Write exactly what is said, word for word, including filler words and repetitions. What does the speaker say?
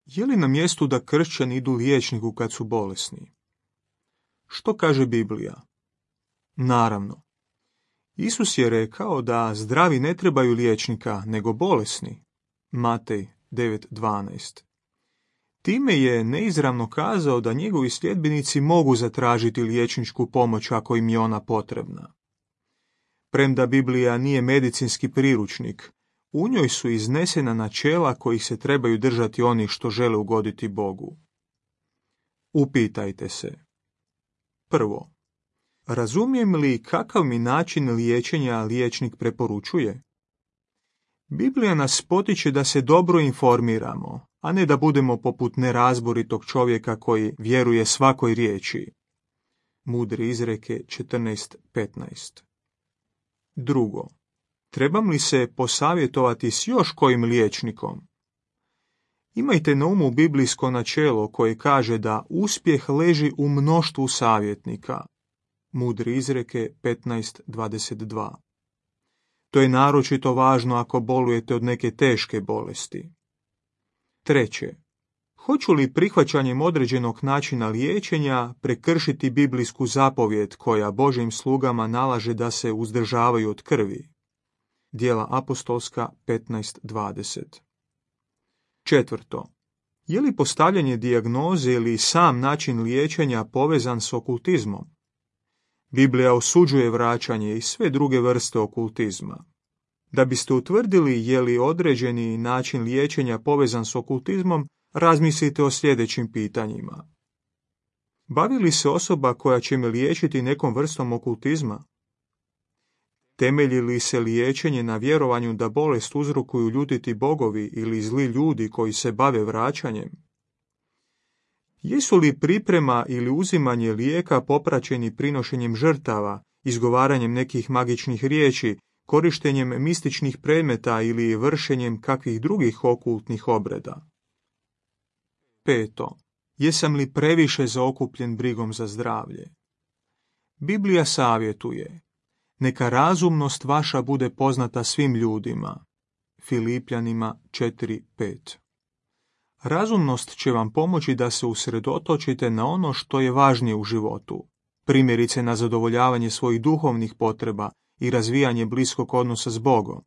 Je li na mjestu da kršćani idu liječniku kad su bolesni? Što kaže Biblija? Naravno. Isus je rekao da zdravi ne trebaju liječnika, nego bolesni. Matej devet dvanaest. Time je neizravno kazao da njegovi sljedbenici mogu zatražiti liječničku pomoć ako im je ona potrebna. Premda Biblija nije medicinski priručnik, u njoj su iznesena načela kojih se trebaju držati oni što žele ugoditi Bogu. Upitajte se. Prvo, razumijem li kakav mi način liječenja liječnik preporučuje? Biblija nas potiče da se dobro informiramo, a ne da budemo poput nerazboritog čovjeka koji vjeruje svakoj riječi. Mudre izreke četrnaest petnaest. Drugo, trebam li se posavjetovati s još kojim liječnikom? Imajte na umu biblijsko načelo koje kaže da uspjeh leži u mnoštvu savjetnika. Mudre izreke petnaest dvadeset dva. To je naročito važno ako bolujete od neke teške bolesti. Treće, hoću li prihvaćanjem određenog načina liječenja prekršiti biblijsku zapovjed koja Božjim slugama nalaže da se uzdržavaju od krvi? Djela apostolska petnaest dvadeset. Četvrto, je li postavljanje dijagnoze ili sam način liječenja povezan s okultizmom? Biblija osuđuje vraćanje i sve druge vrste okultizma. Da biste utvrdili je li određeni način liječenja povezan s okultizmom, razmislite o sljedećim pitanjima. Bavi li se osoba koja će me liječiti nekom vrstom okultizma? Temelji li se liječenje na vjerovanju da bolest uzrokuju ljutiti bogovi ili zli ljudi koji se bave vraćanjem? Jesu li priprema ili uzimanje lijeka popraćeni prinošenjem žrtava, izgovaranjem nekih magičnih riječi, korištenjem mističnih predmeta ili vršenjem kakvih drugih okultnih obreda? Peto. Jesam li previše zaokupljen brigom za zdravlje? Biblija savjetuje: neka razumnost vaša bude poznata svim ljudima. Filipljanima četiri pet. Razumnost će vam pomoći da se usredotočite na ono što je važnije u životu, primjerice na zadovoljavanje svojih duhovnih potreba i razvijanje bliskog odnosa s Bogom.